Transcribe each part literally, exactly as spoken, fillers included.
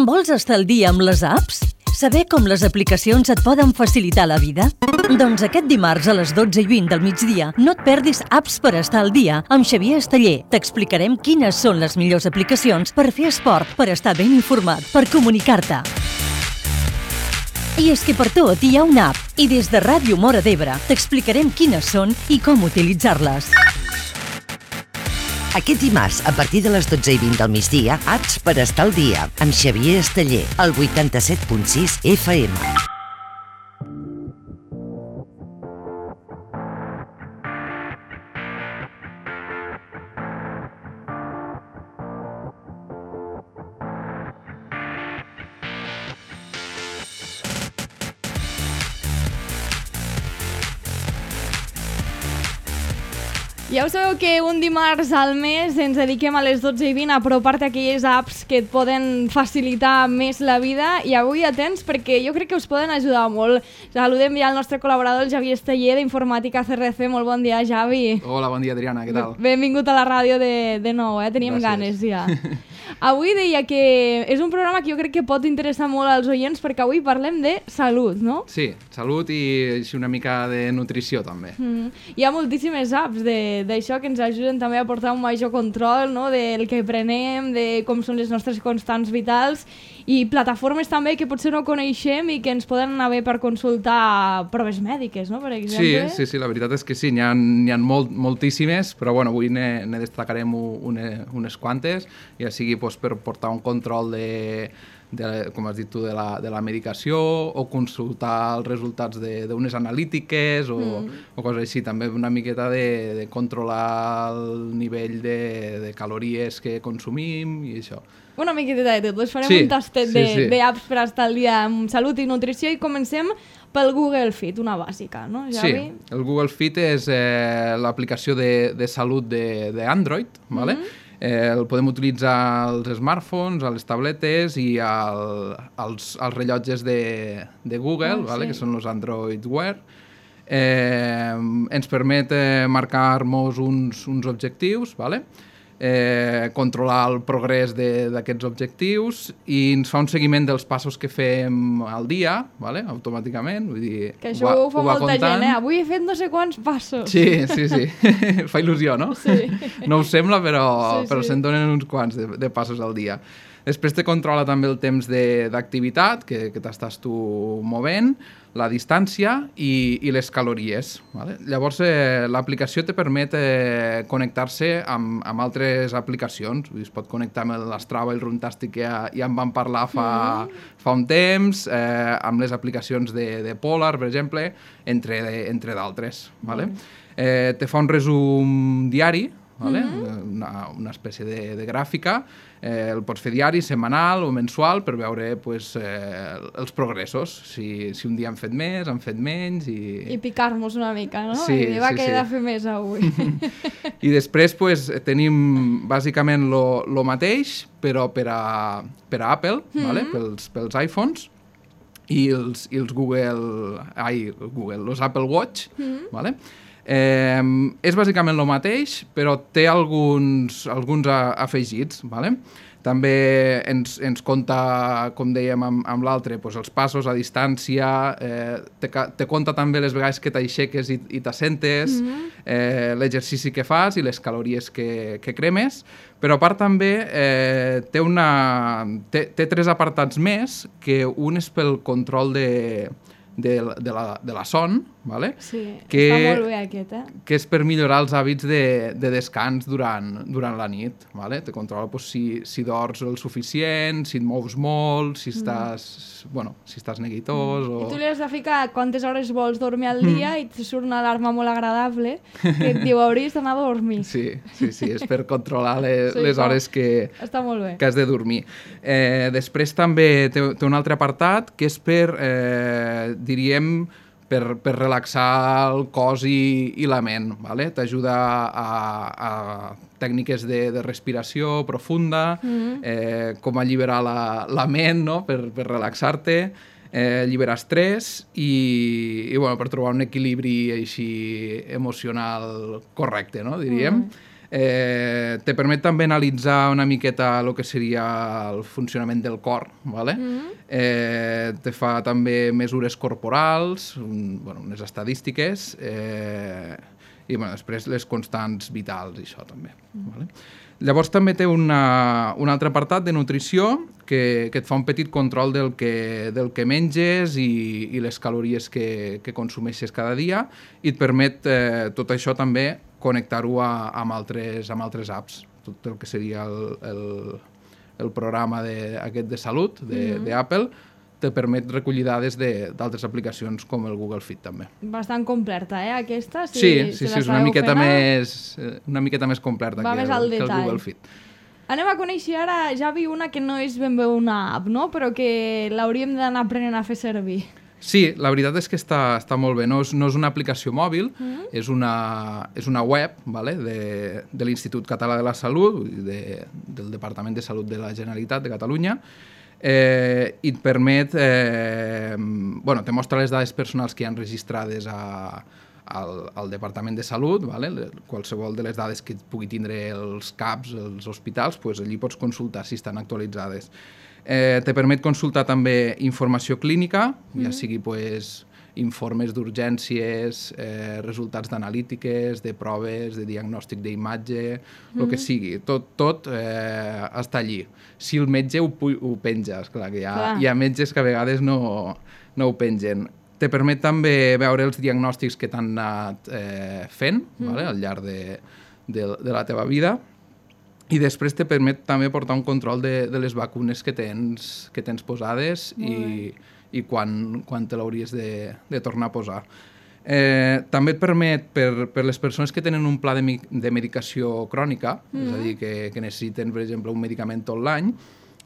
Vols estar al dia amb les apps? Saber com les aplicacions et poden facilitar la vida? Doncs aquest dimarts a les dotze i vint del migdia no et perdis Apps per estar al dia amb Xavier Esteller. T'explicarem quines són les millors aplicacions per fer esport, per estar ben informat, per comunicar-te. I és que per tot hi ha una app i des de Ràdio Móra d'Ebre t'explicarem quines són i com utilitzar-les. Aquest dimarts, a partir de les dotze i vint del migdia, Apps per estar al dia, amb Xavier Esteller, al vuitanta-set punt sis F M. Ja ho sabeu que un dimarts al mes ens dediquem a les dotze i vint a apropar-te a aquelles apps que et poden facilitar més la vida, i avui atents perquè jo crec que us poden ajudar molt. Saludem ja el nostre col·laborador, el Javi Esteller, d'Informàtica C R C. Molt bon dia, Javi. Hola, bon dia, Adriana, què tal? Benvingut a la ràdio de, de nou, eh? Teníem Gràcies. ganes ja. Avui deia que és un programa que jo crec que pot interessar molt als oients perquè avui parlem de salut, no? Sí, salut i així una mica de nutrició també. Mm. Hi ha moltíssimes apps de, d'això que ens ajuden també a portar un major control, no? Del que prenem, de com són les nostres constants vitals, i plataformes també que potser no coneixem i que ens poden anar bé per consultar proves mèdiques, no? Per exemple. Sí, sí, sí, la veritat és que sí, n'hi ha, n'hi ha molt, moltíssimes, però bueno, avui ne, ne destacarem une, unes quantes, ja sigui pues, per portar un control de, de, com has dit tu, de la, de la medicació, o consultar els resultats d'unes analítiques, o, mm. o coses així. També una miqueta de, de controlar el nivell de, de calories que consumim i això. Una miqueta de tot. Les farem sí, un tastet sí, sí. d'apps per estar al dia amb salut i nutrició, i comencem pel Google Fit, una bàsica, no, Javi? Sí, el Google Fit és eh, l'aplicació de, de salut d'Android, ¿vale? Mm-hmm. Eh, el podem utilitzar als smartphones, a les tabletes i al, als, als rellotges de, de Google, oh, ¿vale? Sí. Que són els Android Wear. Eh, ens permet eh, marcar-nos uns, uns objectius, ¿vale? Eh, controlar el progrés d'aquests objectius, i ens fa un seguiment dels passos que fem al dia, ¿vale? Automàticament. Vull dir, que això ho, ho fa ho molta comptant. gent, eh? Avui he fet no sé quants passos. Sí, sí, sí. Fa il·lusió, no? Sí. No us sembla, però, sí, però sí. se'n donen uns quants de, de passos al dia. Després te controla també el temps d'activitat que, que t'estàs tu movent, la distància i, i les calories. Vale? Llavors, eh, l'aplicació te permet eh, connectar-se amb, amb altres aplicacions. Es pot connectar amb l'Strava i el Runtastic, que ja, ja en vam parlar fa, mm. fa un temps, eh, amb les aplicacions de, de Polar, per exemple, entre, entre d'altres. Vale? Mm. Eh, te fa un resum diari, vale? mm-hmm. una, una espècie de, de gràfica. Eh, el pots fer diari, setmanal o mensual per veure pues, eh, els progressos, si, si un dia han fet més, han fet menys i... I picar-nos una mica, no? Sí, I dir, va, sí, que he sí. de fer més avui. I després pues, tenim bàsicament lo, lo mateix, però per a, per a Apple, mm-hmm. vale? pels, pels iPhones, i els, i els Google... Ai, Google, els Apple Watch, mm-hmm. vale? Eh, és bàsicament el mateix, però té alguns, alguns afegits, ¿vale? També ens, ens compta, com dèiem amb, amb l'altre, pues, els passos, a distància, eh, te, te compta també les vegades que t'aixeques i, i t'assentes, mm-hmm. eh, l'exercici que fas i les calories que, que cremes, però a part també eh, té, una, té, té tres apartats més, que un és pel control de... De, de, la, de la son, ¿vale? Sí, que, està molt bé aquest, eh? Que és per millorar els hàbits de, de descans durant, durant la nit, ¿vale? Te controla pues, si, si dors el suficient, si et mous molt, si estàs, mm. bueno, si estàs neguitós... Mm. O... I tu li has de ficar quantes hores vols dormir al dia mm. i et surt una alarma molt agradable que et diu hauries d'anar a dormir. Sí, sí, sí, és per controlar les, sí, les hores que, està molt bé. que has de dormir. Eh, després també té, té un altre apartat que és per... Eh, diríem, per, per relaxar el cos i, i la ment, ¿vale? T'ajuda a, a tècniques de, de respiració profunda, mm-hmm. eh, com alliberar la, la ment, no? per, per relaxar-te, eh, alliberar estrès i, i bueno, per trobar un equilibri així emocional correcte, no? diríem. Mm. Eh, te permet també analitzar una miqueta el que seria el funcionament del cor, ¿vale? Mm-hmm. eh, te fa també mesures corporals, un, bueno, unes estadístiques, eh, i bueno, després les constants vitals i això també. Mm. ¿Vale? Llavors també té una, un altre apartat de nutrició que, que et fa un petit control del que, del que menges i, i les calories que, que consumeixes cada dia i et permet eh, tot això també connectar-ho a, amb, altres, amb altres apps, tot el que seria el, el, el programa de, aquest de salut d'Apple, mm-hmm. te permet recollir dades d'altres aplicacions com el Google Fit també. Bastant completa, eh, aquesta? Si, sí, sí, si sí, és una miqueta, més, una miqueta més completa que el, que el Google Fit. Anem a conèixer ara, Javi, una que no és ben bé una app, no? Però que l'hauríem d'anar aprenent a fer servir. Sí, la veritat és que està, està molt bé. No és, no és una aplicació mòbil, mm-hmm. és, una, és una web, vale? de, de l'Institut Català de la Salut, de, del Departament de Salut de la Generalitat de Catalunya, eh, i et permet, eh, bueno, te mostra les dades personals que hi ha registrades a, al, al Departament de Salut, vale? Qualsevol de les dades que pugui tindre els C A Ps, els hospitals, pues allí pots consultar si estan actualitzades. Eh, te permet consultar també informació clínica, mm-hmm. ja sigui pues, informes d'urgències, eh, resultats d'analítiques, de proves, de diagnòstic d'imatge, mm-hmm. el que sigui. Tot, tot eh, està allí. Si el metge ho, ho penja, esclar, que hi ha, clar. Hi ha metges que a vegades no, no ho pengen. Te permet també veure els diagnòstics que t'han anat eh, fent, mm-hmm. vale? Al llarg de, de, de la teva vida. I després te permet també portar un control de, de les vacunes que tens, que tens posades i, i quan, quan te l'hauries de, de tornar a posar. Eh, també et permet, per, per les persones que tenen un pla de, de medicació crònica, mm-hmm. és a dir, que, que necessiten, per exemple, un medicament tot l'any,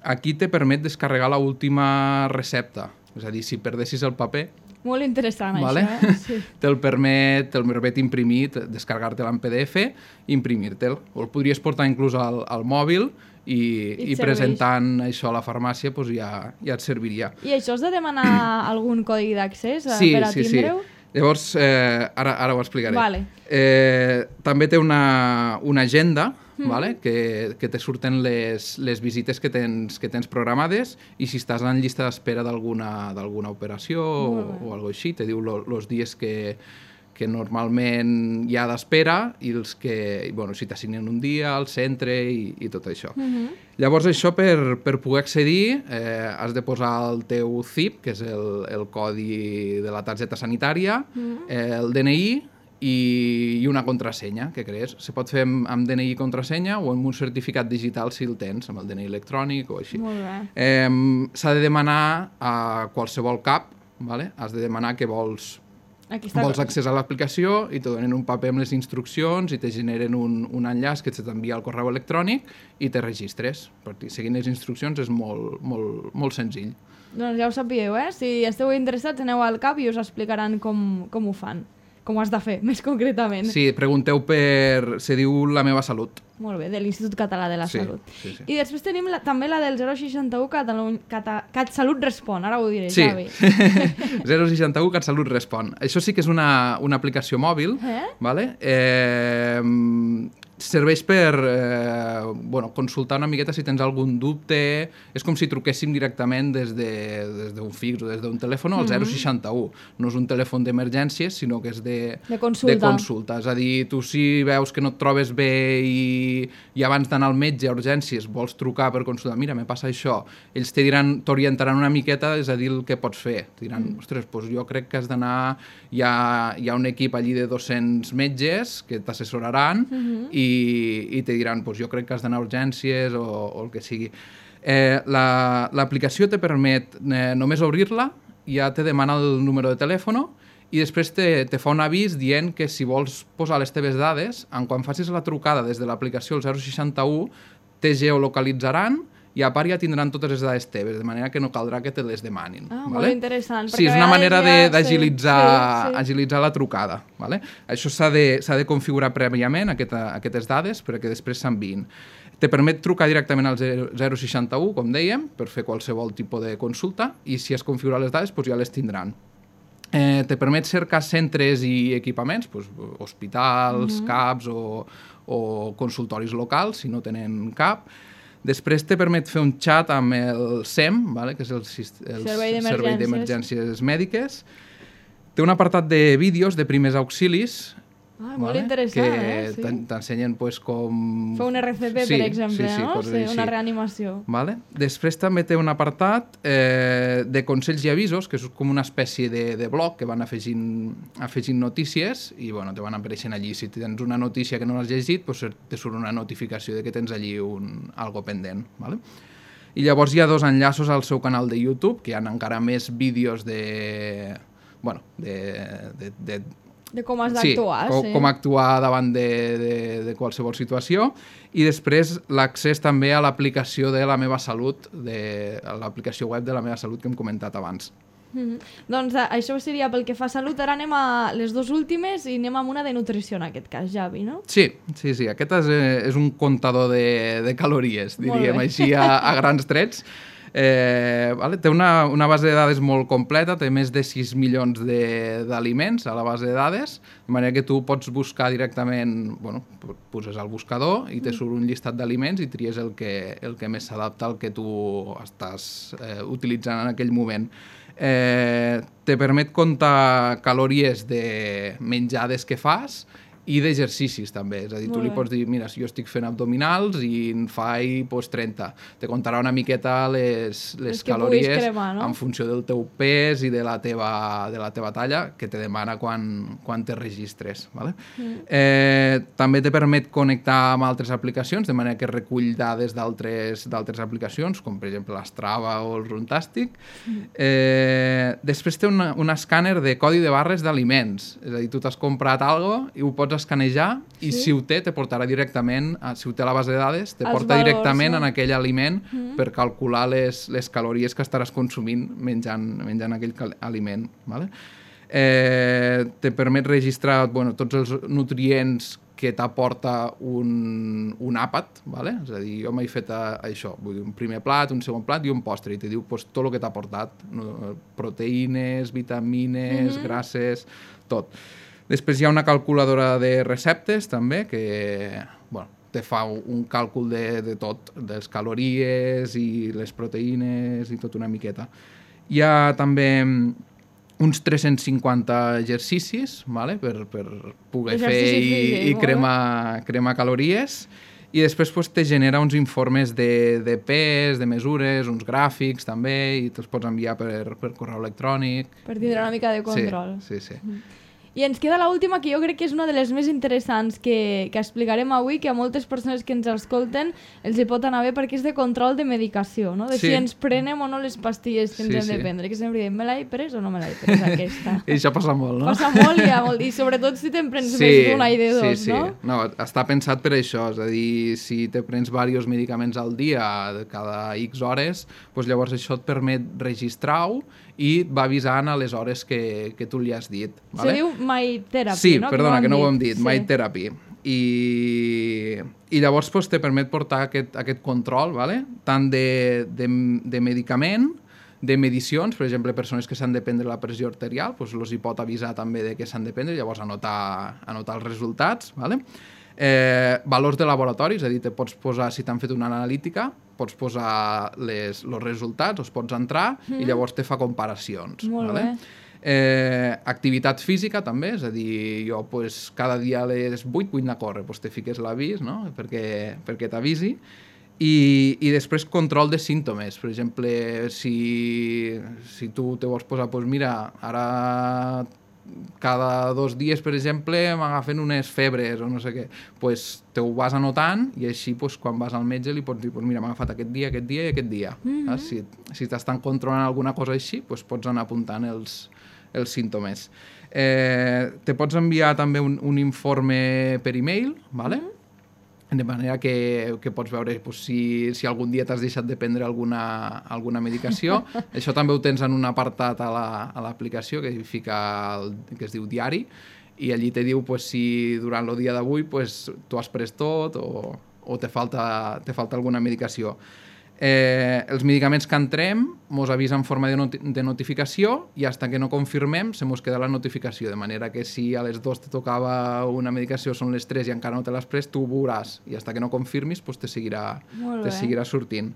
aquí te permet descarregar l'última recepta. És a dir, si perdessis el paper... Molt interessant, vale? això, eh? Sí. Te'l permet, te'l permet imprimir, descarregar-te'l en P D F i imprimir-te'l. O el podries portar inclús al, al mòbil i, I, i presentant això a la farmàcia pues ja, ja et serviria. I això has de demanar algun codi d'accés sí, per a sí, tindre-ho? Sí. Llavors, eh, ara, ara ho explicaré. Vale. Eh, també té una, una agenda, mm. vale? que, que te surten les, les visites que tens, que tens programades i si estàs en llista d'espera d'alguna d'alguna operació o, o alguna així, te diu els dies que, que normalment hi ha d'espera i els que, bueno, si t'assignen un dia al centre i, i tot això. Mm-hmm. Llavors això per, per poder accedir eh, has de posar el teu C I P, que és el, el codi de la targeta sanitària, mm-hmm. eh, el D N I i, i una contrasenya que crees. Se pot fer amb, amb D N I i contrasenya o amb un certificat digital si el tens, amb el D N I electrònic o així. Molt bé. Eh, s'ha de demanar a qualsevol C A P, vale? Has de demanar que vols vols accés a l'aplicació i te donen un paper amb les instruccions i te generen un, un enllaç que t'envia al correu electrònic i te registres. Perquè seguint les instruccions és molt, molt, molt senzill. Doncs ja ho sapigueu, eh? Si esteu interessats, aneu al C A P i us explicaran com, com ho fan. Com ho has de fer, més concretament. Sí, pregunteu per... se diu La meva salut. Molt bé, de l'Institut Català de la sí, Salut. Sí, sí. I després tenim la, també la del zero seixanta u Catalunya, Cata, CatSalut Respon, ara ho diré, sí. Javi. zero seixanta u CatSalut Respon. Això sí que és una, una aplicació mòbil, eh? Vale? Eh, serveix per eh, bueno, consultar una miqueta si tens algun dubte. És com si truquéssim directament des d'un de, fix o des d'un telèfon al zero seixanta u. No és un telèfon d'emergències, sinó que és de, de, consulta. de consulta. És a dir, tu si veus que no et trobes bé i, i abans d'anar al metge a urgències vols trucar per consultar, mira, me passa això, ells te diran, t'orientaran una miqueta, és a dir, el que pots fer. Te diran, mm. ostres, doncs jo crec que has d'anar... Hi ha, hi ha un equip allí de dos-cents metges que t'assessoraran mm-hmm. i i te diran, pues, jo crec que has d'anar a urgències o, o el que sigui. Eh, l'aplicació te permet eh, només obrir-la, ja te demana el número de telèfon i després te, te fa un avís dient que si vols posar les teves dades, en quan facis la trucada des de l'aplicació al zero seixanta u, te geolocalitzaran i a part ja tindran totes les dades teves, de manera que no caldrà que te les demanin. Ah, vale? molt interessant. Sí, és una manera ja d'agilitzar sí, sí. agilitzar la trucada. Vale? Això s'ha de, s'ha de configurar prèviament, aquesta, aquestes dades, perquè després s'enviïn. Te permet trucar directament al zero seixanta u, com dèiem, per fer qualsevol tipus de consulta, i si has configurat les dades, doncs ja les tindran. Eh, te permet cercar centres i equipaments, doncs, hospitals, uh-huh. caps o, o consultoris locals, si no tenen cap. Després te permet fer un xat amb el S E M, vale? Que és el, el Servei d'Emergències Mèdiques. Té un apartat de vídeos de primers auxilis, ah, molt vale? Interessant, que eh? Sí. t'ensenyen pues, com... Fer un R C P, sí, per exemple, sí, sí, no? Sí, una reanimació. Vale? Després també té un apartat eh, de consells i avisos, que és com una espècie de, de blog que van afegint, afegint notícies i bueno, te van apareixent allí. Si tens una notícia que no l'has llegit, pues, te surt una notificació de que tens allí un, algo pendent. Vale? I llavors hi ha dos enllaços al seu canal de YouTube, que hi ha encara més vídeos de... Bueno, de... de, de de com has d'actuar, sí. Com, sí. com actuar davant de, de, de qualsevol situació. I després l'accés també a l'aplicació de La Meva Salut, de l'aplicació web de La Meva Salut que hem comentat abans. Mm-hmm. Doncs això seria pel que fa a salut. Ara anem a les dues últimes i anem amb una de nutrició en aquest cas, Javi, no? Sí, sí, sí. Aquest és, és un comptador de, de calories, diríem així a, a grans trets. Eh, vale? Té una, una base de dades molt completa, té més de sis milions d'aliments a la base de dades, de manera que tu pots buscar directament, bueno, poses al buscador i te surt un llistat d'aliments i tries el que, el que més s'adapta al que tu estàs eh, utilitzant en aquell moment. Eh, te permet comptar calories de menjades que fas i d'exercicis també, és a dir, tu li pots dir, mira, si jo estic fent abdominals i en faig pues, trenta, te contarà una miqueta les, les calories cremar, no? En funció del teu pes i de la teva, de la teva talla, que te demana quan, quan te registres. Vale? Mm. Eh, també te permet connectar amb altres aplicacions, de manera que recull dades d'altres aplicacions, com per exemple l'Strava o el Runtastic. Mm. Eh, després té un, un escàner de codi de barres d'aliments, és a dir, tu t'has comprat alguna cosa i ho pots escanejar i sí? Si ho té, te portarà directament, si ho té a la base de dades, te Els porta valors, directament no? En aquell aliment mm. per calcular les, les calories que estaràs consumint menjant, menjant aquell aliment. Vale? Eh, te permet registrar bueno, tots els nutrients que t'aporta un, un àpat, vale? És a dir, jo m'he fet a, a això, vull dir, un primer plat, un segon plat i un postre, i te diu pues, tot el que t'ha aportat, no? Proteïnes, vitamines, mm-hmm. grasses, tot. Després hi ha una calculadora de receptes, també, que bueno, te fa un càlcul de, de tot, de les calories i les proteïnes i tot una miqueta. Hi ha també uns tres-cents cinquanta exercicis, vale? per, per poder Exercici fer i, físic, i cremar, cremar calories. I després pues, te genera uns informes de, de pes, de mesures, uns gràfics també, i te'ls pots enviar per, per correu electrònic. Per tindre una mica de control. Sí, sí, sí. Mm. I ens queda l'última, que jo crec que és una de les més interessants que, que explicarem avui, que a moltes persones que ens escolten els hi pot anar bé, perquè és de control de medicació, no? De sí. Si ens prenem o no les pastilles que ens sí, hem sí. de prendre, que sempre diem, me l'he pres o no me l'he pres aquesta? I això passa molt, no? Passa molt i, molt, i sobretot si te'n prens sí, més d'una i de dos, sí, sí. no? No, està pensat per això, és a dir, si te prens diversos medicaments al dia, cada X hores, doncs llavors això et permet registrar-ho i et va avisant a les hores que, que tu li has dit. Vale? Se diu My Therapy, sí, no? Sí, perdona, que no ho hem dit, sí. My Therapy. I, i llavors pues, te permet portar aquest, aquest control, vale? Tant de, de, de medicament, de medicions, per exemple, persones que s'han de prendre la pressió arterial, doncs els hi pot avisar també de que s'han de prendre, llavors anotar, anotar els resultats, vale? Eh, valors de laboratori, és a dir, te pots posar, si t'han fet una analítica, pots posar els resultats, els pots entrar mm. i llavors te fa comparacions. Molt vale? bé. Eh, activitat física també, és a dir, jo pues, cada dia a les vuit vull anar a córrer, pues, te fiques l'avís, no? perquè, perquè t'avisi. I, i després control de símptomes. Per exemple, si, si tu te vols posar, pues, mira, ara cada dos dies, per exemple, m'agafen unes febres o no sé què, pues te ho vas anotant i així pues, quan vas al metge li pots dir pues, mira, m'ha agafat aquest dia, aquest dia i aquest dia. Mm-hmm. Si, si t'estan controlant alguna cosa així, pues, pots anar apuntant els, els símptomes. Eh, te pots enviar també un, un informe per e-mail, vale? Mm-hmm. De manera que, que pots veure pues, si, si algun dia t'has deixat de prendre alguna, alguna medicació. Això també ho tens en un apartat a l'aplicació la, que, fica el, que es diu diari, i allí te diu pues, si durant el dia d'avui pues, tu has pres tot o, o te falta, te falta alguna medicació. Eh, els medicaments que entrem mos avisa en forma de, noti de notificació i fins que no confirmem se mos queda la notificació, de manera que si a les dos te tocava una medicació, són les tres i encara no te l'has pres, tu ho veuràs i fins que no confirmis pues, te, seguirà, te seguirà sortint.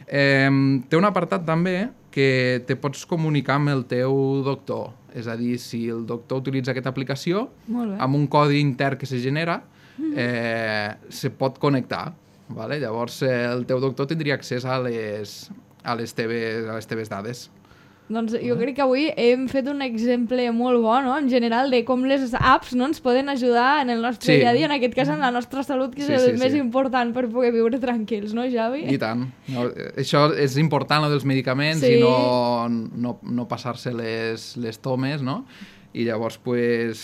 Eh, té un apartat també que te pots comunicar amb el teu doctor, és a dir, si el doctor utilitza aquesta aplicació, amb un codi intern que se genera, eh, se pot connectar. Vale? Llavors eh, el teu doctor tindria accés a les, a les, teves, a les teves dades. Doncs jo crec que avui hem fet un exemple molt bo, no?, en general, de com les apps no ens poden ajudar en el nostre sí. dia a dia, en aquest cas en la nostra salut, que és sí, el sí, més sí. important per poder viure tranquils, no, Javi? I tant. No, això és important, lo dels medicaments, sí. i no, no, no passar-se les, les tomes, no? I llavors pues,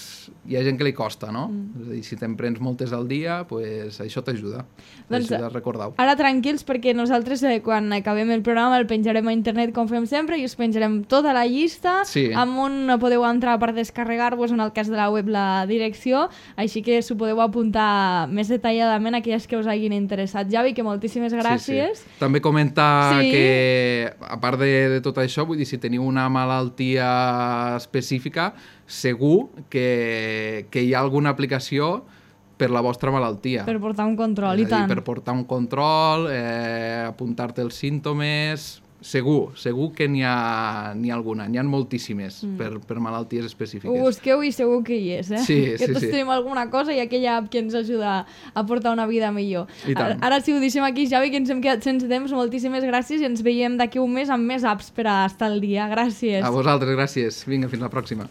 hi ha gent que li costa, no? Mm. És a dir, si te'n prens moltes al dia, pues, això t'ajuda. Doncs t'ajuda a recordar-ho. Ara tranquils, perquè nosaltres eh, quan acabem el programa el penjarem a internet com fem sempre i us penjarem tota la llista, sí. amb on podeu entrar per descarregar-vos, en el cas de la web, la direcció, així que s'ho podeu apuntar més detalladament a aquelles que us hagin interessat. Javi, que moltíssimes gràcies. Sí, sí. També comentar sí. que, a part de, de tot això, vull dir, si teniu una malaltia específica, segur que, que hi ha alguna aplicació per la vostra malaltia. Per portar un control, i tant. Per portar un control, eh, apuntar-te els símptomes... Segur, segur que n'hi ha, n'hi ha alguna, n'hi ha moltíssimes mm. per, per malalties específiques. Ho busqueu i segur que hi és, eh? Sí, que sí, tots sí. tenim alguna cosa i aquella app que ens ajuda a portar una vida millor. Ara, ara si ho deixem aquí, Javi, que ens hem quedat sense temps, moltíssimes gràcies i ens veiem d'aquí un mes amb més apps per a estar al dia. Gràcies. A vosaltres, gràcies. Vinga, fins la pròxima.